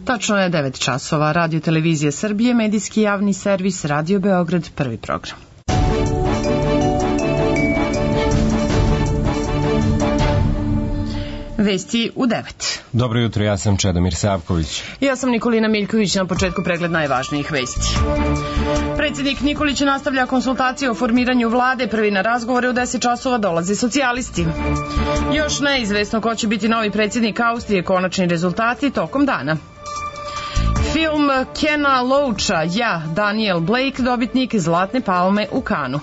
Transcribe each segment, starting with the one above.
Tačno je 9 časova. Radio Televizije Srbije, medijski javni servis, Radio Beograd, prvi program. Vesti u 9. Dobro jutro, ja sam Čedomir Savković. Ja sam Nikolina Miljković, na početku pregled najvažnijih vesti. Predsjednik Nikolić nastavlja konsultacije o formiranju vlade, prvi na razgovore u 10 časova dolaze socijalisti. Još neizvesno ko će biti novi predsjednik Austrije, konačni rezultati tokom dana. Film Kena Loacha, Ja, Daniel Blake, dobitnik Zlatne palme u Kanu.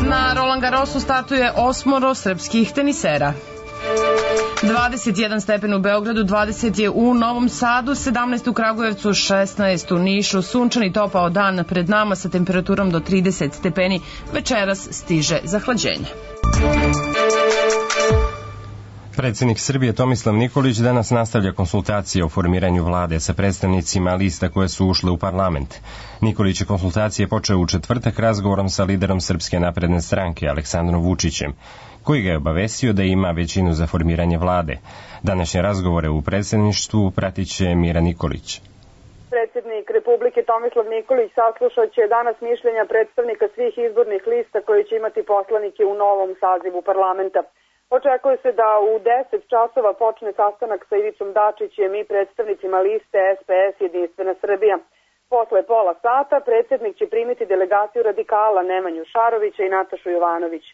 Na Roland Garrosu startuje 8 srpskih tenisera. 21 stepen u Beogradu, 20 je u Novom Sadu, 17 u Kragujevcu, 16 u Nišu, sunčan i topao dan pred nama sa temperaturom do 30 stepeni, večeras stiže zahlađenje. Predsjednik Srbije Tomislav Nikolić danas nastavlja konsultacije o formiranju vlade sa predstavnicima lista koje su ušle u parlament. Nikolić je konsultacije počeo u četvrtak razgovorom sa liderom Srpske napredne stranke Aleksandrom Vučićem, koji ga je obavestio da ima većinu za formiranje vlade. Današnje razgovore u predsjedništvu pratit će Mira Nikolić. Predsjednik Republike Tomislav Nikolić saslušat će danas mišljenja predstavnika svih izbornih lista koji će imati poslanike u novom sazivu parlamenta. Očekuje se da u 10 časova počne sastanak sa Ivicom Dačićem i predstavnicima liste SPS Jedinstvena Srbija. Posle pola sata predsjednik će primiti delegaciju radikala Nemanju Šarovića i Natašu Jovanović.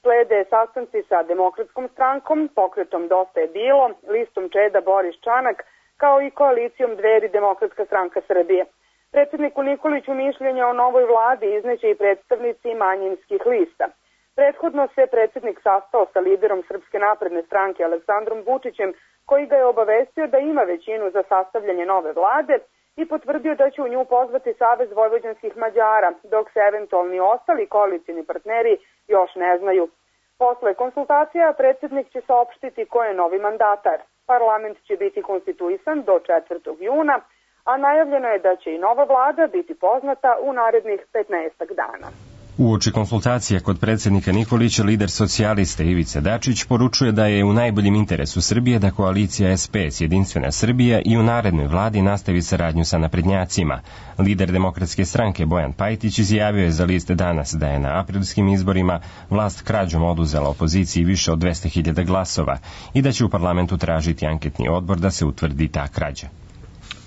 Slede sastanci sa Demokratskom strankom, pokretom Dosta je bilo, listom Čeda Boris Čanak, kao i koalicijom Dveri Demokratska stranka Srbije. Predsjedniku Nikoliću mišljenja o novoj vladi izneće i predstavnici manjinskih lista. Prethodno se predsjednik sastao sa liderom Srpske napredne stranke Aleksandrom Vučićem, koji ga je obavestio da ima većinu za sastavljanje nove vlade i potvrdio da će u nju pozvati Savez vojvođanskih Mađara, dok se eventualni ostali koalicijni partneri još ne znaju. Posle konsultacija predsjednik će saopštiti ko je novi mandatar. Parlament će biti konstituisan do 4. juna, a najavljeno je da će i nova vlada biti poznata u narednih 15 dana. Uoči konsultacija kod predsjednika Nikolića, lider socijalista Ivica Dačić poručuje da je u najboljem interesu Srbije da koalicija SPS Jedinstvena Srbija i u narednoj vladi nastavi saradnju sa naprednjacima. Lider Demokratske stranke Bojan Pajtić izjavio je za list danas da je na aprilskim izborima vlast krađom oduzela opoziciji više od 200.000 glasova i da će u parlamentu tražiti anketni odbor da se utvrdi ta krađa.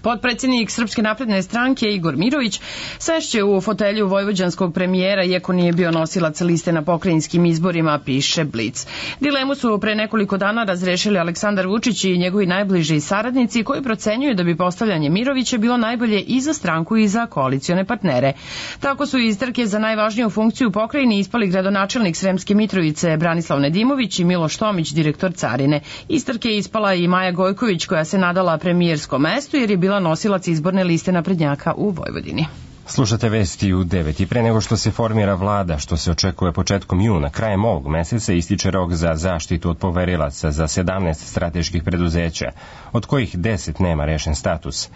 Potpredsjednik Srpske napredne stranke Igor Mirović sešće u fotelju vojvođanskog premijera iako nije bio nosilac liste na pokrajinskim izborima, piše Blic. Dilemu su pre nekoliko dana razrešili Aleksandar Vučić i njegovi najbliži saradnici koji procenjuju da bi postavljanje Mirovića bilo najbolje i za stranku i za koalicione partnere. Tako su iz trke za najvažniju funkciju pokrajini ispali gradonačelnik Sremske Mitrovice Branislav Nedimović i Miloš Tomić, direktor carine. Iz trke je ispala i Maja Gojković koja se nadala premijerskom mestu jer je bila nosilac izborne liste naprednjaka u Vojvodini. Slušate vesti u 9. I pre nego što se formira vlada, što se očekuje početkom juna, krajem ovog meseca ističe rok za zaštitu od poverilaca za 17 strateških preduzeća, od kojih 10 nema rešen status.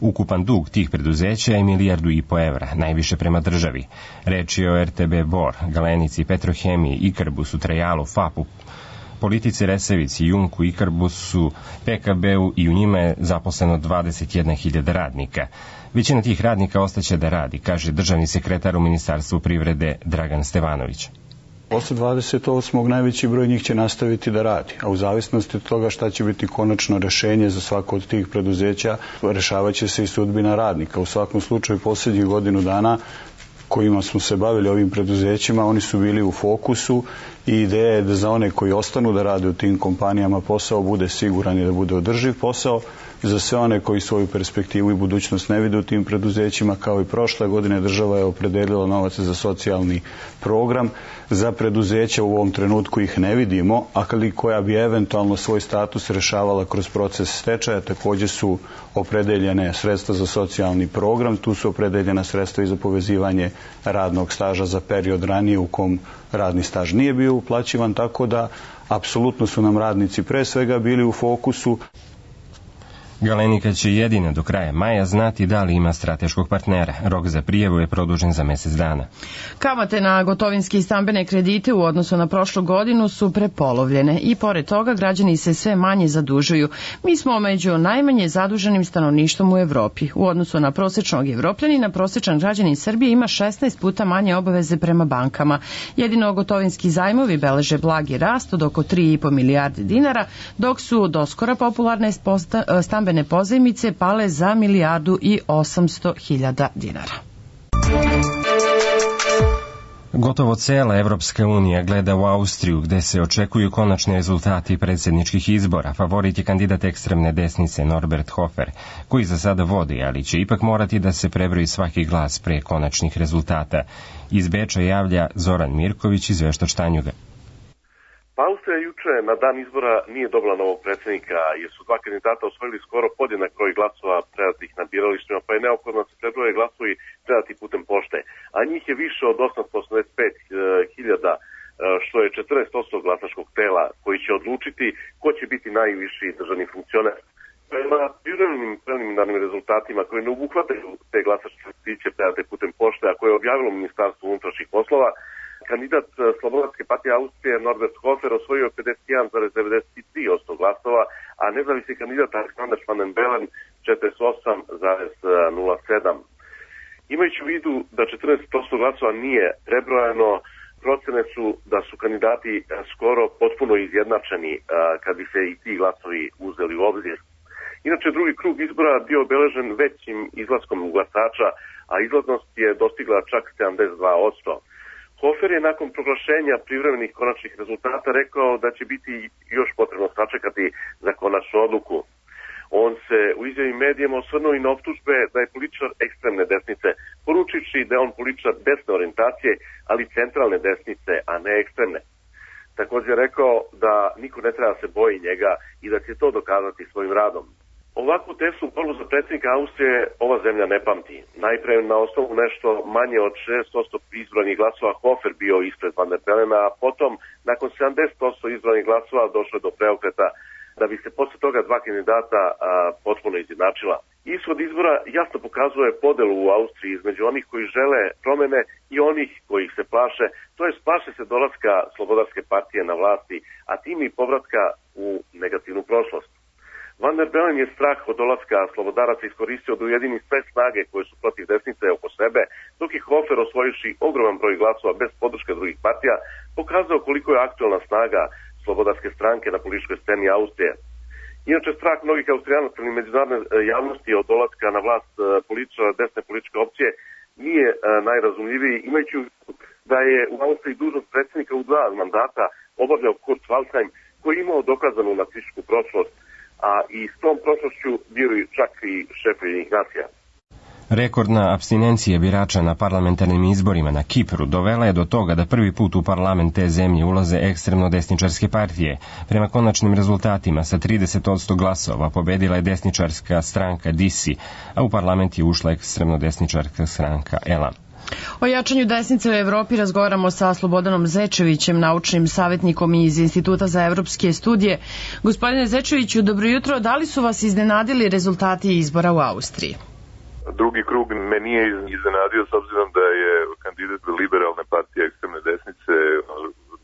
Ukupan dug tih preduzeća je 1,5 milijardu evra, najviše prema državi. Reč je o RTB Bor, Galenici, Petrohemiji, Ikarbusu, Trajalu, FAP-u, Politici, Resavici, Jumku, Ikarbusu, PKB-u i u njima je zaposleno 21.000 radnika. Većina tih radnika ostaće da radi, kaže državni sekretar u Ministarstvu privrede Dragan Stevanović. Posle 28. najveći broj njih će nastaviti da radi, a u zavisnosti od toga šta će biti konačno rešenje za svako od tih preduzeća, rešavat će se i sudbina radnika. U svakom slučaju, posljednjih godinu dana kojima smo se bavili ovim preduzećima, oni su bili u fokusu i ideja je da za one koji ostanu da rade u tim kompanijama posao bude siguran i da bude održiv posao. Za sve one koji svoju perspektivu i budućnost ne vide u tim preduzećima, kao i prošle godine, država je opredelila novac za socijalni program. Za preduzeća u ovom trenutku ih ne vidimo, a koja bi eventualno svoj status rešavala kroz proces stečaja, također su opredeljene sredstva za socijalni program, tu su opredeljena sredstva i za povezivanje radnog staža za period ranije u kom radni staž nije bio uplaćivan, tako da apsolutno su nam radnici pre svega bili u fokusu. Galenika će jedina do kraja maja znati da li ima strateškog partnera. Rok za prijavu je produžen za mesec dana. Kamate na gotovinske i stambene kredite u odnosu na prošlu godinu su prepolovljene i pored toga građani se sve manje zadužuju. Mi smo među najmanje zaduženim stanovništvom u Evropi. U odnosu na prosečnog Evropljanina, prosečan građanin Srbije ima 16 puta manje obaveze prema bankama. Jedino gotovinski zajmovi beleže blagi rast od oko 3,5 milijarde dinara, dok su doskora popularne stambene pozajmice pale za 1.800.000 dinara. Gotovo cela Evropska unija gleda u Austriju, gde se očekuju konačni rezultati predsjedničkih izbora. Favorit je kandidat ekstremne desnice Norbert Hofer, koji za sada vodi, ali će ipak morati da se prebroji svaki glas pre konačnih rezultata. Iz Beča javlja Zoran Mirković, izveštač Tanjuga. Austrija juče na dan izbora nije dobila novog predsjednika, jer su dva kandidata osvojili skoro podjednak broj glasova predatih na biralištima, pa je neophodno da se prebroje glasovi predati putem pošte. A njih je više od 885.000, što je 40% glasačkog tela, koji će odlučiti ko će biti najviši državni funkcioner. Prema preliminarnim rezultatima koji ne obuhvataju te glasačke listiće predate putem pošte, a koje je objavilo Ministarstvo unutrašnjih poslova, kandidat Slobodarske partije Austrije Norbert Hofer osvojio 51,93% glasova, a nezavisni kandidat Alexander Van den Bellen 48,07%. Imajući u vidu da 14% glasova nije prebrojano, procene su da su kandidati skoro potpuno izjednačeni kad bi se i ti glasovi uzeli u obzir. Inače, drugi krug izbora bio obeležen većim izlaskom glasača, a izlaznost je dostigla čak 72%. Hofer je nakon proglašenja privremenih konačnih rezultata rekao da će biti još potrebno sačekati za konačnu odluku. On se u izjavi medijima osvrnuo i na optužbe da je političar ekstremne desnice, poručivši da je on političar desne orijentacije, ali centralne desnice, a ne ekstremne. Također je rekao da niko ne treba se boji njega i da će to dokazati svojim radom. Ovakvu tesnu borbu za predsjednika Austrije ova zemlja ne pamti. Najpre na osnovu nešto manje od 6% izbranih glasova Hofer bio ispred Van der Bellena, a potom nakon 70% izbranih glasova došlo do preokreta, da bi se posle toga dva kandidata potpuno izjednačila. Ishod izbora jasno pokazuje podelu u Austriji između onih koji žele promene i onih koji ih se plaše, to jest plaše se dolaska Slobodarske partije na vlasti, a tim i povratka u negativnu prošlost. Van der Bellen je strah od dolaska slobodaraca iskoristio da ujedini sve snage koje su protiv desnice oko sebe, dok je Hofer osvojivši ogroman broj glasova bez podrške drugih partija, pokazao koliko je aktualna snaga slobodarske stranke na političkoj sceni Austrije. Inače, strah mnogih Austrijanaca ili međunarodne javnosti od dolaska na vlast političara desne političke opcije nije najrazumljiviji, imajući da je u Austriji dužnost predsjednika u 2 mandata obavljao Kurt Waldheim, koji je imao dokazanu nacističku prošlost, a i s tom prošlošću bio i čak i šef Ujedinjenih nacija. Rekordna apstinencija birača na parlamentarnim izborima na Kipru dovela je do toga da prvi put u parlament te zemlje ulaze ekstremno desničarske partije. Prema konačnim rezultatima sa 30% glasova pobedila je desničarska stranka DISI, a u parlament je ušla ekstremno desničarska stranka ELA. O jačanju desnice u Evropi razgovaramo sa Slobodanom Zečevićem, naučnim savjetnikom iz Instituta za evropske studije. Gospodine Zečeviću, dobro jutro. Da li su vas iznenadili rezultati izbora u Austriji? Drugi krug me nije iznenadio s obzirom da je kandidat liberalne partije ekstremne desnice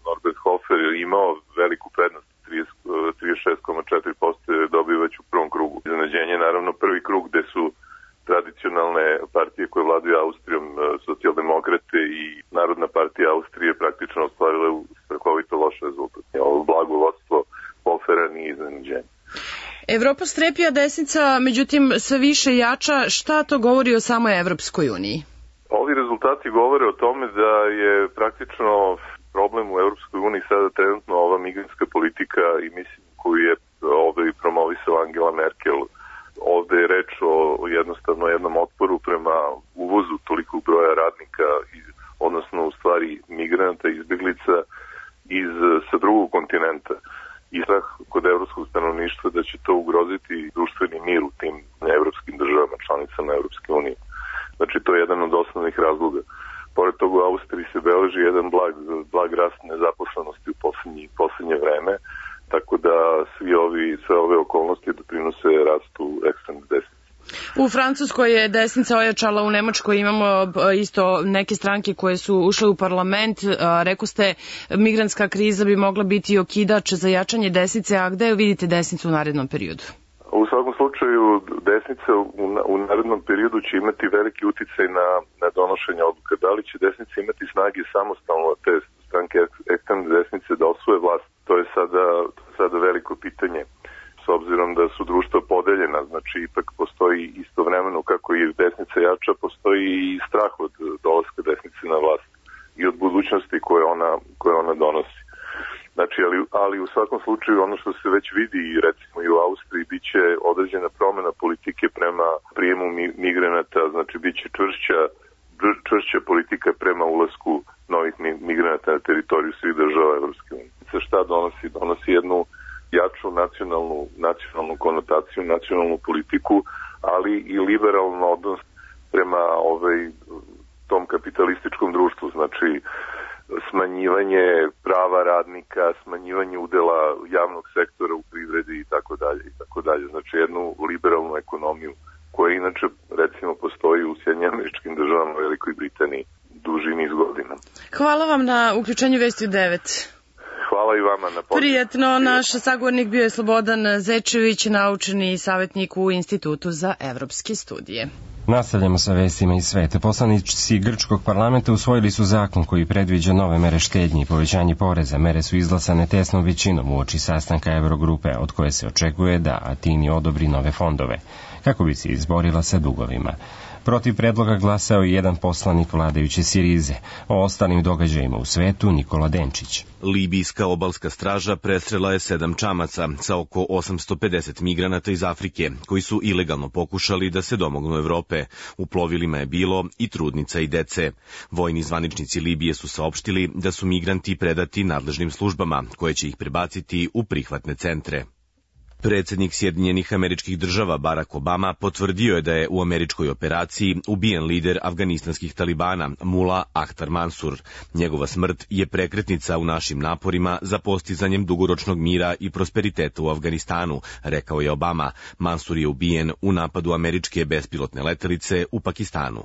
Norbert Hofer imao veliku prednost, 36,4% je dobio već u prvom krugu. Iznenađenje naravno prvi krug gde su tradicionalne partije koje vladaju Austrijom, socijaldemokrate i Narodna partija Austrije praktično ostvarile strahovito loš rezultat. Ovo blago vodstvo Hofera nije iznenađenje. Evropa strepi, a desnica, međutim, sve više jača. Šta to govori o samoj Evropskoj uniji? Ovi rezultati govore o tome da je praktično problem u Evropskoj uniji sada trenutno ova migrantska politika i mislim koju je ovdje promovisala Angela Merkel. Ovdje je reč o jednostavno jednom otporu prema uvozu tolikog broja radnika, odnosno u stvari migranata, izbjeglica sa drugog kontinenta. I strah kod evropskog stanovništva da će to ugroziti društveni mir u tim evropskim državama, članicama Evropske unije. Znači, to je jedan od osnovnih razloga. Pored toga u Austriji se beleži jedan blag rast nezaposlenosti u posljednje vreme, tako da sve ove okolnosti doprinose rastu ekstremne desnice. U Francuskoj je desnica ojačala, u Nemačkoj imamo isto neke stranke koje su ušle u parlament. Rekao ste, migrantska kriza bi mogla biti okidač za jačanje desnice, a gde vidite desnicu u narednom periodu? U svakom slučaju, desnica u narednom periodu će imati veliki uticaj na donošenje odluka. Da li će desnica imati snage samostalno te stranke ekstremne desnice da osvoje vlast, to je sada veliko pitanje. S obzirom da su društva podeljena, znači ipak postoji istovremeno kako je desnica jača, postoji i strah od dolaska desnice na vlast i od budućnosti koje ona donosi. Znači, ali u svakom slučaju ono što se već vidi recimo i u Austriji, bit će određena promjena politike prema prijemu migranata, znači bit će čvršća politika prema ulasku novih migranata na teritoriju svih država Evropske unije. Šta donosi? Donosi jednu jaču nacionalnu konotaciju, nacionalnu politiku, ali i liberalan odnos prema tom kapitalističkom društvu, znači smanjivanje prava radnika, smanjivanje udela javnog sektora u privredi i tako dalje. Znači jednu liberalnu ekonomiju koja inače recimo postoji u Sjedinjenim Američkim Državama, Velikoj Britaniji duži niz godina. Hvala vam na uključenju Vesti u 9. Hvala i vama na pozivu. Prijetno, naš sagovornik bio je Slobodan Zečević, naučni savjetnik u Institutu za evropske studije. Nastavljamo sa vestima iz sveta. Poslanici grčkog parlamenta usvojili su zakon koji predviđa nove mere štednje i povećanje poreza. Mere su izglasane tesnom većinom uoči sastanka Eurogrupe, od koje se očekuje da Atini odobri nove fondove, kako bi se izborila sa dugovima. Protiv predloga glasao je jedan poslanik vladajuće Sirize. O ostalim događajima u svetu Nikola Denčić. Libijska obalska straža presrela je 7 čamaca sa oko 850 migranata iz Afrike, koji su ilegalno pokušali da se domognu Evrope. U plovilima je bilo i trudnica i dece. Vojni zvaničnici Libije su saopštili da su migranti predati nadležnim službama, koje će ih prebaciti u prihvatne centre. Predsjednik Sjedinjenih Američkih Država Barack Obama potvrdio je da je u američkoj operaciji ubijen lider afganistanskih talibana Mullah Akhtar Mansur. Njegova smrt je prekretnica u našim naporima za postizanjem dugoročnog mira i prosperiteta u Afganistanu, rekao je Obama. Mansur je ubijen u napadu američke bespilotne letelice u Pakistanu.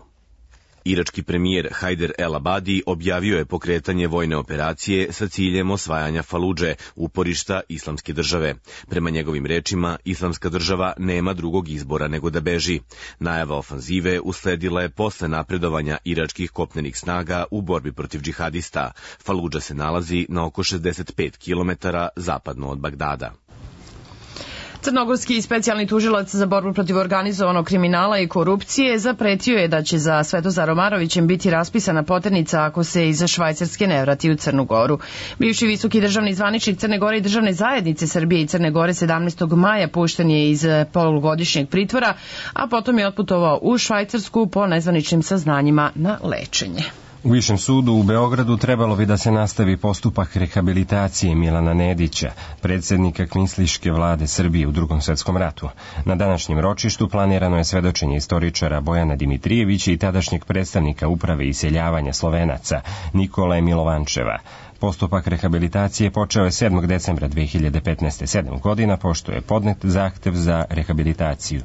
Irački premijer Hajder El Abadi objavio je pokretanje vojne operacije sa ciljem osvajanja Faludže, uporišta Islamske države. Prema njegovim rečima, Islamska država nema drugog izbora nego da beži. Najava ofanzive usledila je posle napredovanja iračkih kopnenih snaga u borbi protiv džihadista. Faludža se nalazi na oko 65 km zapadno od Bagdada. Crnogorski specijalni tužilac za borbu protiv organizovanog kriminala i korupcije zapretio je da će za Svetozarom Marovićem biti raspisana poternica ako se iz Švajcarske ne vrati u Crnu Goru. Bivši visoki državni zvaničnik Crne Gore i državne zajednice Srbije i Crne Gore 17. maja pušten je iz polugodišnjeg pritvora, a potom je otputovao u Švajcarsku po nezvaničnim saznanjima na lečenje. U Višem sudu u Beogradu trebalo bi da se nastavi postupak rehabilitacije Milana Nedića, predsjednika kvislinške vlade Srbije u Drugom svetskom ratu. Na današnjem ročištu planirano je svedočenje istoričara Bojana Dimitrijevića i tadašnjeg predstavnika uprave iseljavanja Slovenaca Nikole Milovančeva. Postupak rehabilitacije počeo je 7. decembra 2015. 7 godina, pošto je podnet zahtev za rehabilitaciju.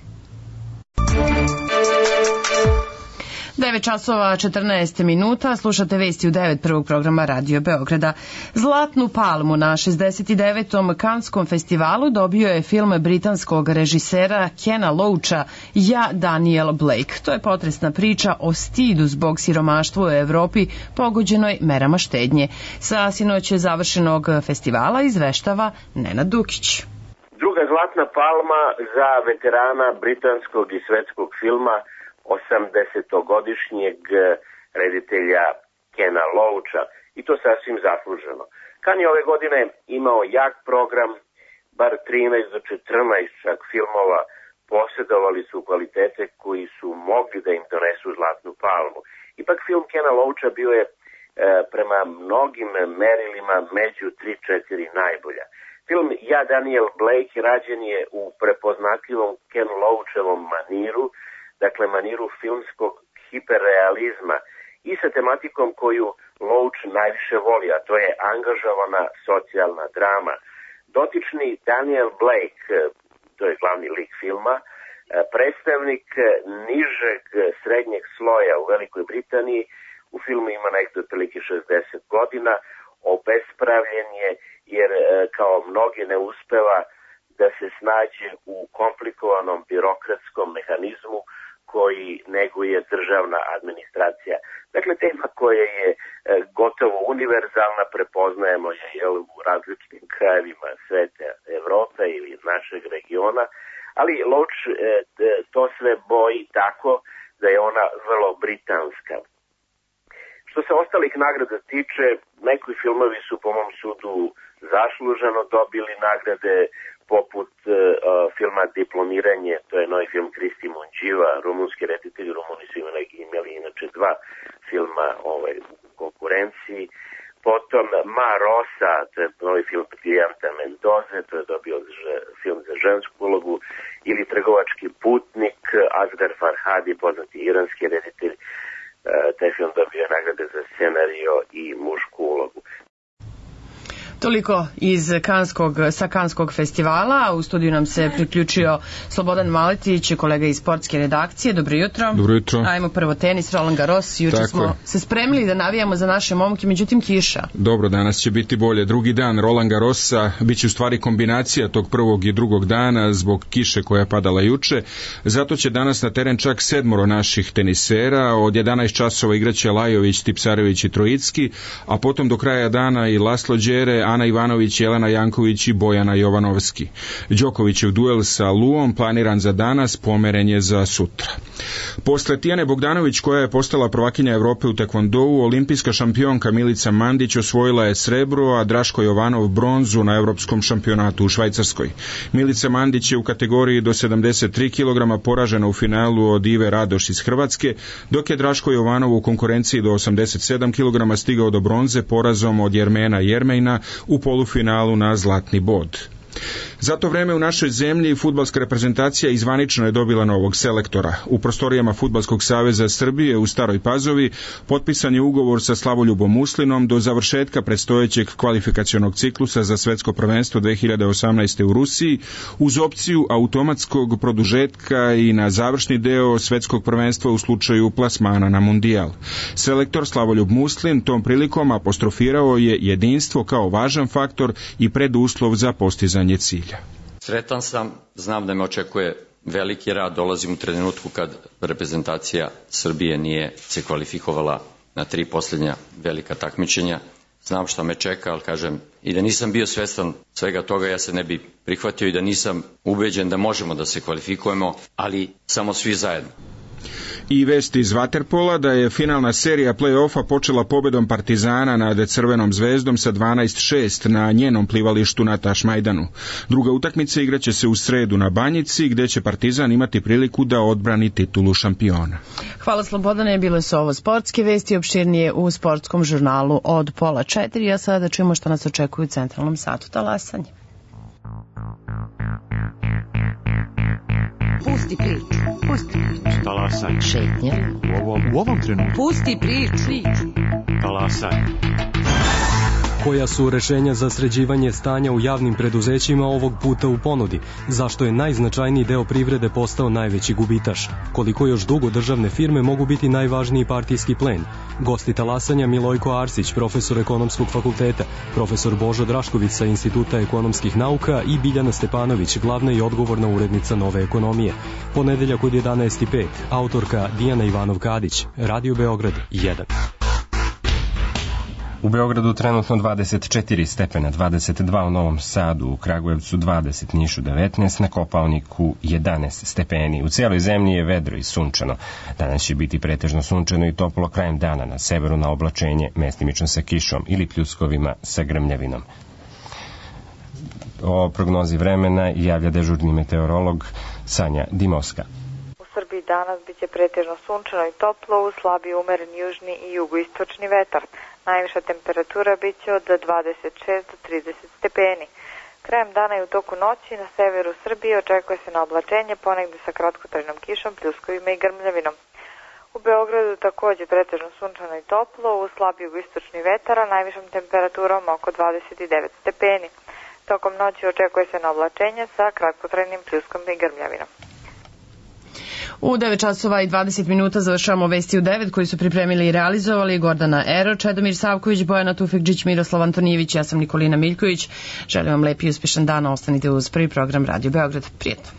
9 časova 14 minuta, slušate Vesti u 9 prvog programa Radio Beograda. Zlatnu palmu na 69. Kanskom festivalu dobio je film britanskog režisera Kena Loacha Ja, Daniel Blake. To je potresna priča o stidu zbog siromaštva u Evropi pogođenoj merama štednje. Sa sinoć završenog festivala izveštava Nenad Dukić. Druga zlatna palma za veterana britanskog i svetskog filma 80-godišnjeg reditelja Kena Loacha, i to sasvim zasluženo. Kan je ove godine imao jak program, bar 13 do 14 čak filmova posjedovali su kvalitete koji su mogli da im donesu zlatnu palmu. Ipak film Kena Loacha bio je prema mnogim merilima među 3-4 najbolja. Film Ja, Daniel Blake rađen je u prepoznatljivom Ken Loachovom maniru, dakle maniru filmskog hiperrealizma i sa tematikom koju Loach najviše voli, a to je angažovana socijalna drama. Dotični Daniel Blake, to je glavni lik filma, predstavnik nižeg srednjeg sloja u Velikoj Britaniji, u filmu ima nekdo otprilike 60 godina, obespravljen je jer kao mnogi ne uspeva da se snađe u komplikovanom birokratskom mehanizmu koji neguje državna administracija. Dakle, tema koja je gotovo univerzalna, prepoznajemo je u različitim krajevima sveta, Evrope ili našeg regiona, ali Loach to sve boji tako da je ona vrlo britanska. Što se ostalih nagrada tiče, neki filmovi su po mom sudu zasluženo dobili nagrade, poput filma Diplomiranje, to je novi film Kristi Munđiva, rumunski reditelj. Rumuni su imali inače dva filma u konkurenciji. Potom Ma Rosa, to je novi film Briljanta Mendoze, to je dobio film za žensku ulogu, ili Trgovački putnik, Asghar Farhadi, poznati iranski reditelj, taj film dobio nagrade za scenario i mušku ulogu. Toliko sa Kanskog festivala. U studiju nam se priključio Slobodan Maletić, kolega iz sportske redakcije. Dobro jutro. Dobro jutro. Ajmo prvo tenis, Roland Garros. Juče smo se spremili da navijamo za naše momke, međutim kiša. Dobro, danas će biti bolje. Drugi dan Roland Garrosa biće u stvari kombinacija tog prvog i drugog dana zbog kiše koja je padala juče. Zato će danas na teren čak 7 naših tenisera. Od 11 časova igraće Lajović, Tipsarević i Trojicki, a potom do kraja dana i Laslo Đere, Ana Ivanović, Jelena Janković i Bojana Jovanovski. Đokovićev duel sa Luom, planiran za danas, pomeren je za sutra. Posle Tijane Bogdanović, koja je postala prvakinja Evrope u tekvondou, olimpijska šampionka Milica Mandić osvojila je srebro, a Draško Jovanov bronzu na evropskom šampionatu u Švajcarskoj. Milica Mandić je u kategoriji do 73 kg poražena u finalu od Ive Radoš iz Hrvatske, dok je Draško Jovanov u konkurenciji do 87 kg stigao do bronze porazom od Jermena Jermejna u polufinalu na zlatni bod. Za to vreme u našoj zemlji fudbalska reprezentacija izvanično je dobila novog selektora. U prostorijama Fudbalskog saveza Srbije u Staroj Pazovi potpisan je ugovor sa Slavoljubom Muslinom do završetka predstojećeg kvalifikacionog ciklusa za svetsko prvenstvo 2018. u Rusiji, uz opciju automatskog produžetka i na završni deo svetskog prvenstva u slučaju plasmana na mundijal. Selektor Slavoljub Muslin tom prilikom apostrofirao je jedinstvo kao važan faktor i preduslov za postizanje cilja. Sretan sam, znam da me očekuje veliki rad, dolazim u trenutku kad reprezentacija Srbije nije se kvalifikovala na 3 posljednja velika takmičenja. Znam šta me čeka, ali kažem, i da nisam bio svestan svega toga, ja se ne bi prihvatio i da nisam ubeđen da možemo da se kvalifikujemo, ali samo svi zajedno. I vesti iz vaterpola da je finalna serija play-offa počela pobedom Partizana nad Crvenom zvezdom sa 12-6 na njenom plivalištu na Tašmajdanu. Druga utakmica igraće se u sredu na Banjici, gde će Partizan imati priliku da odbrani titulu šampiona. Hvala Slobodane, bile su ovo sportske vesti, opširnije u sportskom žurnalu od 3:30, a sada čujemo što nas očekuje u centralnom satu talasanje. Pusti priču. Talasanje. Šetnja. U ovom trenutku. Pusti priču. Talasanje. Koja su rešenja za sređivanje stanja u javnim preduzećima ovog puta u ponudi? Zašto je najznačajniji deo privrede postao najveći gubitaš? Koliko još dugo državne firme mogu biti najvažniji partijski plen? Gosti talasanja Milojko Arsić, profesor ekonomskog fakulteta, profesor Božo Drašković sa Instituta ekonomskih nauka i Biljana Stepanović, glavna i odgovorna urednica Nove ekonomije. Ponedeljak od 11:05, autorka Dijana Ivanov-Kadić, Radio Beograd 1. U Beogradu trenutno 24 stepena, 22 u Novom Sadu, u Kragujevcu 20, Nišu 19, na Kopaoniku 11 stepeni. U cijeloj zemlji je vedro i sunčano. Danas će biti pretežno sunčano i toplo krajem dana, na severu na oblačenje, mestimično sa kišom ili pljuskovima sa grmljavinom. O prognozi vremena javlja dežurni meteorolog Sanja Dimovska. U Srbiji danas biće pretežno sunčano i toplo, uz slabi umeren južni i jugoistočni vetar. Najviša temperatura biće od 26 do 30 stepeni. Krajem dana i u toku noći na severu Srbije očekuje se na oblačenje, ponegde sa kratkotrajnom kišom, pljuskovima i grmljavinom. U Beogradu takođe pretežno sunčano i toplo, uz slab jugoistočni vetar, a najvišom temperaturom oko 29 stepeni. Tokom noći očekuje se na oblačenje sa kratkotrajnim pljuskom i grmljavinom. U 9 časova i 20 minuta završavamo Vesti u 9 koji su pripremili i realizovali Gordana Ero, Čedomir Savković, Bojana Tufekđić, Miroslav Antonijević, ja sam Nikolina Miljković. Želim vam lep i uspešan dan, ostanite uz prvi program Radio Beograd. Prijetno.